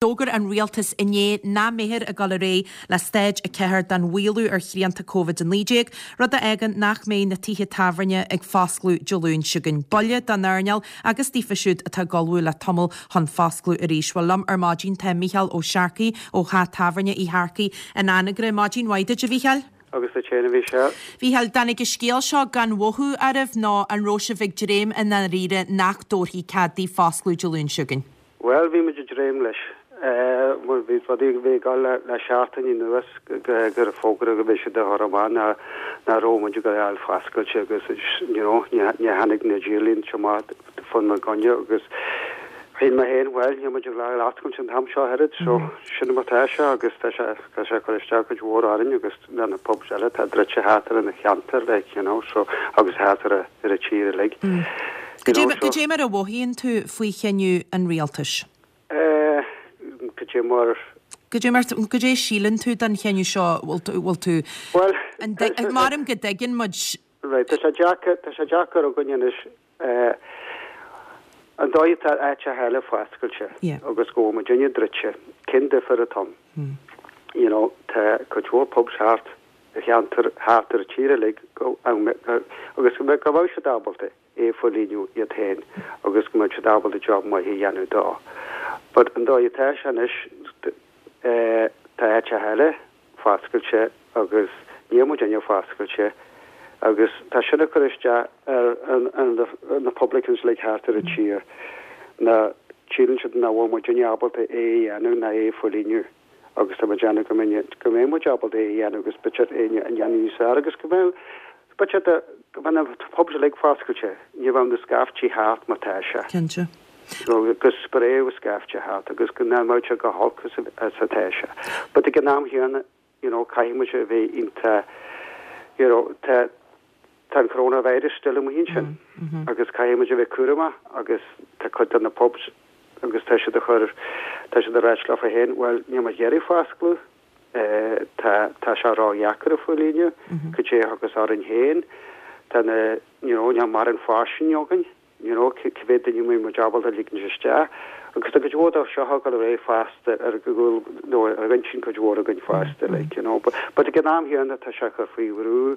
D'fhógair an Rialtas inné nach mbeifear ag dul ar aghaidh le Stáid 4 den mhaolú ar shrianta Covid-19, rud a fhágann nach mbeidh na tithe tábhairne ag foscladh Dé Luain seo chugainn. Buille don earnáil agus daofa siúd atá ag ullmhú le tamall chun foscladh arís. Bhuel, liom ar maidin tá Mícheál Ó Searcaigh ó Theach Tábhairne Uí Shearcaigh in Anagaire. Maidin mhaith duit, a Mhícheáil. Agus duit féin, a Mhícheáil. Mhícheáil, dtáinig an scéal seo gan mhothú oraibh nó an raibh sibh ag dréim i ndáiríre nach dtabharfaí cead daoibh foscladh Dé Luain seo chugainn? Bhuel, bhí muid ag dréim leis. Bhuel, bhí rudaí a bhí ag dul le seachtain anuas gur fógraíodh go mbeidh siad á chur amach nach raibh muid ag dul a fháil foscailte agus you know ní tháinig na díorlínte amach fá na gcoinne agus shíl mé féin, bhuel, níl muid ag dul a fháil oscailte an t-am seo oiread so sin mar tá sé agus tá sé tá sé ag cur isteach cuid mhór orainn agus na na pubs eile atá druidte thart ar an cheantar like you know so agus thart ar ar an tír uilig. You know, so. Cad é mar a mhothaíonn tú faoi chinneadh an rialtais? Eh, cad é mar. Cad é mar, cad é a síleann tú den chinneadh seo, bhfuil tú, bhfuil tú, Bhuel, an, maram go dtuigeann muid. Right, tá sé deacair, tá sé deacair againn anois, eh, an dóigh atá áiteacha eile foscailte agus go bhfuil muidinne druidte, cén difear atá ann? You know, tá cuid mhór pubs thart ar cheantar, thart ar an tír uilig go, agus go mbeadh siad ábalta é a phóilíniú iad féin agus go mbeadh siad ábalta job maith a dhéanamh dó. But an dóigh atá sé anois, eh, tá áiteacha eile foscailte agus níl muidinne foscailte agus tá sin ag cur isteach ar na publicans uilig thart ar an tír ná síleann siad nach bhfuil muidinne ábalta é a dhéanamh ná é a phóilíniú agus tá muid ag déanamh go mbeidh go mbeidh muid ábalta é a dhéanamh agus b'fhéidir é a dhéanamh níos fearr agus go mbeidh b'fhéidir go mbeidh na pubs uilig foscailte ní bheadh na scaiftí thart mar tá sé. Cinnte. Go spréadh scaifte thart agus go mbeadh sé chomh holc is atá sé. But ag an am chéanna, you know, caithfidh muid a bheith iontach, you know, tá, tá an coronavirus still amuigh ansin agus caithfidh muid a bheith cúramach agus tá cuid de na pubs agus tá siad a chur, tá siad a ráit leofa féin, bhuel, níl muid ag iarraidh foscladh, tá, tá sé ródheacair a phóilíniú, cad é a thiocfas orainn féin, tá na, you know, níl mórán fairsing againn. You know, cé mhéad duine a mbeidh muid ábalta a ligint isteach? Agus tá cuid mhór de seo ag dul ar aghaidh fosta ar go bhfuil, nó ar intinn cuid mhór againn fosta, like, you know. But, but ag an am chéanna tá sé ag cur faoi bhrú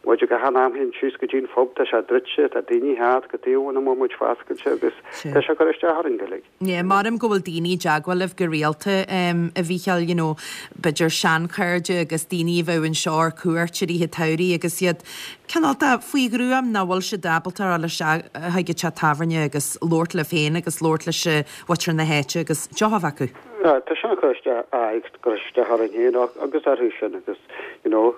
muid ag an am chéanna síos go dtí an phub, tá sé druidte, tá daoine thart cad chuige nach bhfuil muid foscailte agus tá sé ag cur isteach orainn go uilig. Yeah, maram go bhfuil daoine i dteagmháil libh go rialta, a Mhícheáil, you know, b'fhéidir seanchairde agus daoine a bheadh anseo ar cuairt i rith an tsamhraidh agus iad cineál de faoi ghruaim nach bhfuil siad ábalta a dhul isteach chuig an teach tábhairne agus labhairt libh féin agus labhairt leis mhuintir na háite agus deoch a bheith acu. Yeah, tá sin ag cur isteach, aye, ag cur isteach orainn féin agus orthu sin agus, you know,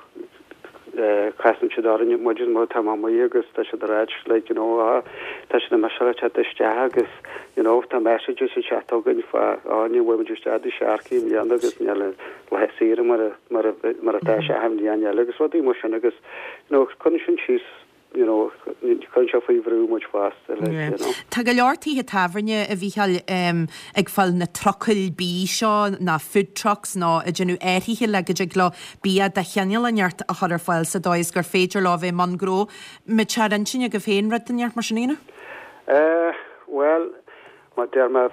Casann siad orainn muid má tá mé amuigh agus tá siad ag ráit like you know ah tá siad imithe le teacht isteach agus you know tá messages ag teacht chugainn fá ah ní bhfuil muid isteach do Sharkey i mbliana agus níl an lá saoire mar a mar a mar atá sé achan bhliain eile agus rudaí mar sin agus you know cuireann sin síos you know, cuireann sé faoi bhrú muid fosta, like, you know. Tá go leor tithe tábhairne, a Mhícheáil, ag fáil na trucail bídh seo, nó food trucks, nó ag déanamh áirithe le go dtig leo bia de chineál inteacht a chur ar fáil sa dóigh is gur féidir leo a bheith i mbun gnó. Mbeadh sé ar intinn agaibh féin rud inteacht mar sin a dhéanamh? Eh, bhuel, mar deir mé,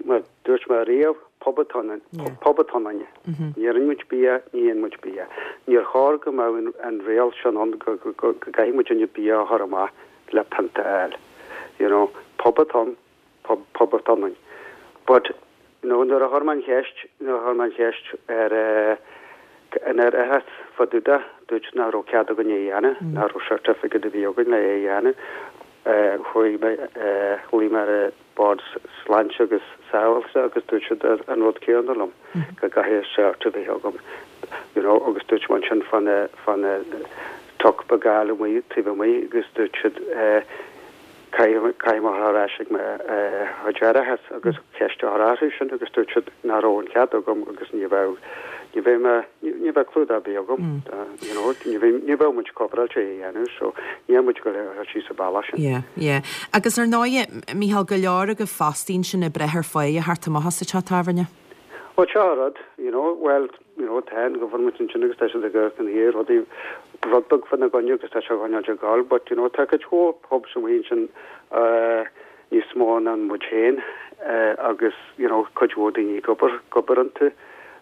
mar dúirt mé riamh, pub atá ionainn, pub atá ionainne. Ní iarrann muid bia, ní itheann muid bia. Níor chóir go mbeadh an riail sin ann go gcaithfidh muidinne bia a chur amach le pionta a fháil. You know, pub atá ann, pub, pub atá ionainn. But, you know, nuair a chuir mé an cheist, nuair a chuir mé an cheist ar eh, an ar oideachas fá dtaobh de, dúirt nach raibh cead againn é a dhéanamh, nach raibh certificate a bhí againn le é a dhéanamh. Eh, chuaigh mé, eh, ghlaoigh mé ar eh, Bord Sláinte agus Sábháilteachta agus dúirt siad an rud céanna liom, go gcaithfidh cert a bheith agam, you know, agus dúirt mé ansin fá na, fá na truck beag a fháil amuigh, taobh amuigh agus dúirt siad eh, caithfidh, caithfidh mé dhul ar ais ag mo eh, chuid aireachas agus ceist a chur orthu sin agus dúirt siad nach raibh an cead agam agus ní bheadh, ní bheidh mé, ní bheadh clúdach ar bith agam, you know, ní bheidh, ní bheadh muid coveráilte é a dhéanamh so níl muid ag dul síos an bealach sin. Yeah, yeah. Agus ar ndóighe, Mícheál, go leor agaibh fostaí ansin ag breith ar pháighe theacht amach as an teach tábhairne. Bhuel, seo an rud, you know, bhuel, you know, tá an government ansin agus tá siad ag amharc ina dhiaidh rudaí, rud beag fá na gcoinne agus tá sé á choinneáil ag gabháil but, you know, tá cuid mhór pubs amuigh ansin eh, níos mó ná muid féin. agus you know cuid mhór daoine ag obair ag obair iontu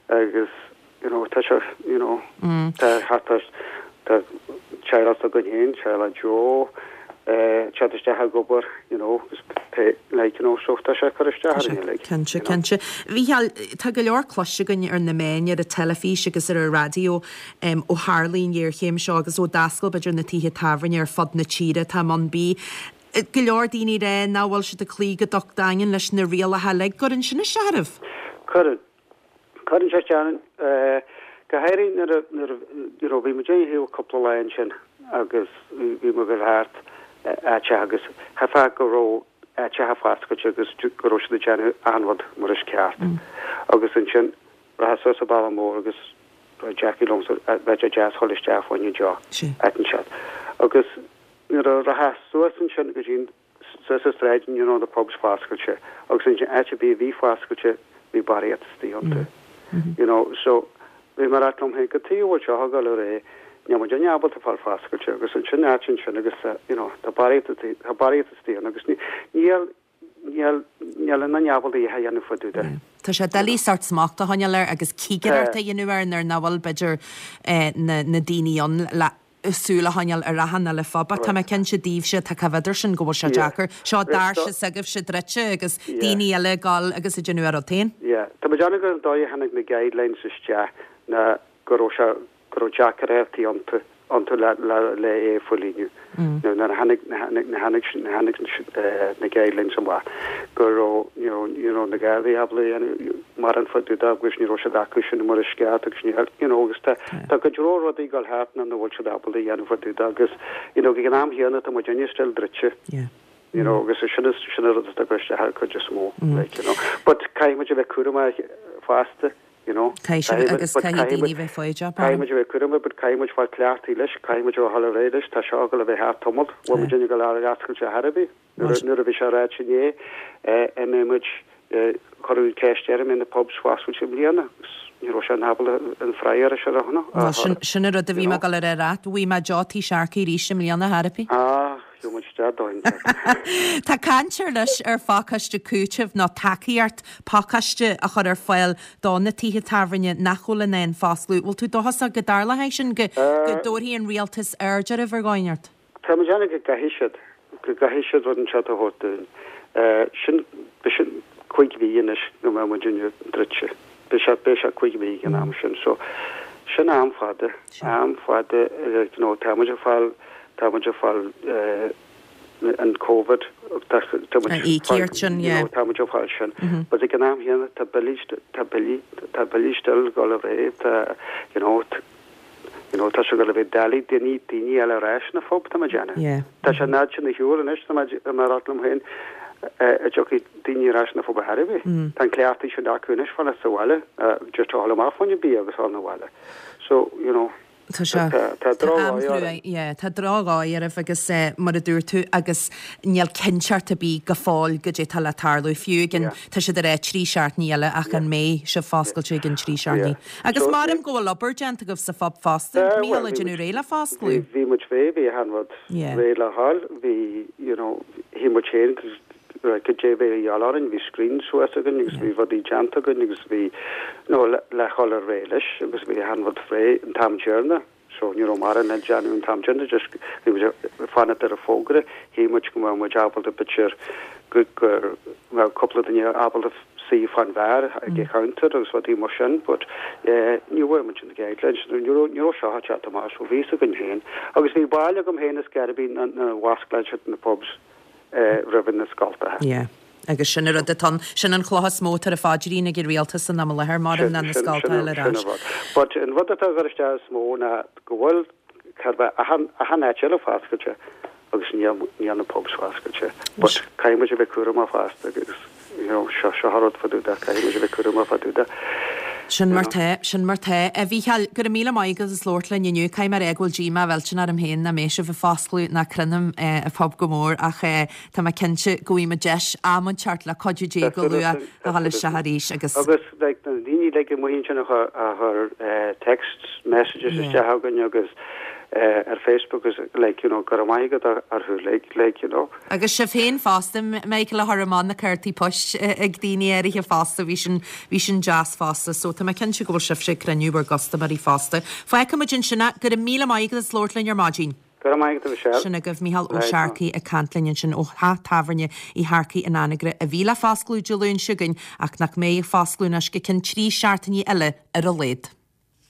agus you know tá sé you know tá thart ar tá teaghlach s'againn féin, teaghlach Joe, teacht isteach ag obair you know agus pé like you know so tá sé ag cur isteach orainn uilig. Cinnte, cinnte. Mhícheáil, tá go leor cloiste againn ar na meáin, ar an teilifís agus ar an raidió ó tharlaigh an ghéarchéim seo agus ó d'oscail b'fhéidir na tithe tábhairne ar fud na tíre atá i mbun bídh. Go leor daoine ag rá nach bhfuil siad ag cloí go docht daingean leis na rialacha uilig. Gcuireann sin isteach oraibh? Cuireann. Cuireann sé isteach orainn, go háirithe nuair a, nuair a, you know, bhí muid ar shiúl cúpla lá ansin agus bhí muid ag dul thart áiteacha agus cheapfá go raibh áiteacha foscailte agus go raibh siad ag déanamh achan rud mar is ceart. Agus ansin rachfá suas an bealach mór agus Jackie liomsa bheadh sé deas dhul isteach fá choinne deoch, áit inteacht. Agus nuair a rachfá suas ansin go dtí an Suas an tsráid ní raibh na pubs foscailte agus ansin áit ar bith a bhí foscailte bhí barraíocht istigh iontu. You know so bhí mé ag ráit liom féin cad chuige a bhfuil seo ag dul ar aghaidh, níl muid ábalta fáil foscailte agus ansin áit ansin agus you know tá barraíocht tá barraíocht istigh ann agus níl níl níl aon duine ábalta a dhath a dhéanamh fá dtaobh de. Tá sé doiligh sórt smacht a choinneáil air agus cigireacht a dhéanamh air nuair nach bhfuil b'fhéidir na na daoine ann le súil a choinneáil ar achan uile phub ach tá mé cinnte daoibhse atá taobh thiar de sin go bhfuil sé deacair. Seo doirse s'agaibhse druidte agus daoine eile ag dul agus ag déanamh a rud féin. Yeah. Tá mé ag déanamh gur an dóigh a tháinig na guidelines isteach ná go raibh sé, go raibh deacrachtaí iontu, iontu le, le, le é a chomhlíonadh. Now nuair a tháinig, tháinig, tháinig, tháinig na guidelines amach go raibh, you know, you know, na Gardaí ábalta a dhéanamh mórán fá dtaobh de agus ní raibh siad acu sin mar is ceart agus ní, you know, agus tá, tá go leor rudaí ag dul thart nach bhfuil siad ábalta a dhéanamh fá dtaobh de agus, you know, ag an am chéanna tá muid inne still druidte. Yeah. You know, agus sin is, sin an rud atá ag cur isteach ar cuid is mó, like, you know. But caithfidh muid a bheith cúramach fosta. you know. Caithfidh sibh agus caithfidh daoine bheith foighdeach, Caithfidh muid a bheith cúramach but caithfidh muid fáil cleachtaithe leis, caithfidh muid a dhul ar aghaidh leis, tá seo ag dul a bheith thart tamall, bhfuil muid ag dul ar oscailt ar chor ar bith. Nuair a bhí sé ráite inné, an mbeidh muid, cuireadh an ceist air an mbeidh na pubs foscailte i mbliana agus ní raibh sé in ábalta an freagra sin a thabhairt. Bhuel, sin an rud a bhí mé ag dul a rá leat, bhfaighidh mé deoch tigh Sharkey arís i mbliana, chor ar bith. Ah, gheobhaidh muid isteach dóinn. Tá caint anois ar phacáiste cúitimh nó tacaíocht pacáiste a chur ar fáil do na tithe tábhairne nach bhfuil in ann foscladh. Bhfuil tú dóchasach go dtarlóidh sin, go dtabharfaidh an rialtas aird oraibh ar dhóigh inteacht? Tá mé ag déanamh go gcaithfidh siad, go gcaithfidh siad rud inteacht a thabhairt dúinn. Sin, beidh sin cúig mhí anois go mbeidh muid druidte. Beidh sé, beidh sé cúig mhí ag an am sin. So, sin am fada, am fada, you know, tá muid ag fáil, tá muid ag fáil, an Covid, tá muid An íocaíocht sin, yeah. Tá muid ag fáil sin. But ag an am chéanna tá billí, tá billí, tá billí still ag dul ar aghaidh, tá, you know, you know, tá sé ag dul a bheith doiligh daoine, daoine a fháil ar ais na phub, tá mé ag déanamh. Yeah. Tá sé an fhad sin ar shiúl anois, tá mé, tá mé ag rá liom féin, an dtiocfaidh daoine ar ais na phub ar chor ar bith. Tá an cleachtadh sin acu anois fanacht sa bhaile, just a dhul amach fá choinne bia agus a dhul 'na bhaile. So, you know. Tá sé. Tá drochdhóigh orainn. Yeah, tá drochdhóigh oraibh agus mar a dúirt tú agus níl cinnteacht ar bith go fóill goidé tá le tarlú. Fiú ag an, tá siad ag rá 3 seachtainí eile ach an mbeidh sibh foscailte ag an 3 seachtainí? Agus maram go bhfuil obair déanta agaibh sa phub fosta, Mícheál, ag déanamh réidh le foscladh. Bhí muid réidh, bhí achan rud réidh le dhul, bhí, you know, shíl muid féin goidé a bhí a dhíobháil orainn, bhí screen suas againn agus bhí rudaí déanta againn agus bhí, you know, le dhul ar aghaidh leis agus bhí achan rud réidh an t-am deireanach so ní raibh mórán le déanamh an t-am deireanach just bhí muid ag fanacht ar an fógra, shíl muid go mbeadh muid ábalta b'fhéidir go go mbeadh cúpla duine ábalta suí fán bheár ag an chounter agus rudaí mar sin but eh ní bhfuair muid na guidelines ní raibh ní raibh seo ag teacht amach so bhí fhios againn féin agus bhí bail agam féin is scor ar bith nár osclaíodh siad na pubs roimh na scoltacha. Yeah. Agus sin an rud atá ann, sin an chloch is mó atá ar a phaidrín ag an rialtas san am i láthair, maram ná na scoltacha eile ar ais. Sin an rud. But an rud atá ag cur isteach is mó ná go bhfuil, chóir a bheith achan, achan áit eile foscailte agus níl, níl na pubs foscailte. But caithfidh muid a bheith cúramach fosta agus, you know, seo, seo an rud fá dtaobh de, caithfidh muid a bheith cúramach fá dtaobh de. Sin mar tá, sin mar tá. A Mhícheáil, go raibh míle maith agat as labhairt linn inniu. Caithfidh mé a rá go bhfuil díomá mhillteanach orm féin nach mbeidh sibh ag foscladh ná cronaim an phub go mór ach tá mé cinnte go bhfaighidh muid deis am inteacht le cuidiú Dé go luath a dhul isteach arís agus. Agus like na daoine uilig amuigh ansin a chuir text messages isteach chugainn agus. Ar Facebook is like you know go raibh maith agat orthu like like you know. Agus sibh féin fosta, Michael, a chuir amach na cártaí poist ag daoine áirithe fosta, bhí sin, bhí sin deas fosta. So tá mé cinnte go bhfuil sibhse ag cruinniú bhur gcustaiméirí fosta. Fágfaidh muid ansin é. Go raibh míle maith agat as labhairt linn ar maidin. Go raibh maith agat a Mhichelle. Sin agaibh Mícheál Ó Searcaigh ag caint linn ansin ó theach tábhairne Uí Shearcaigh in Anagaire a bhí le foscladh Dé Luain seo chugainn ach nach mbeidh ag foscladh anois go ceann 3 seachtainí eile ar a laghad.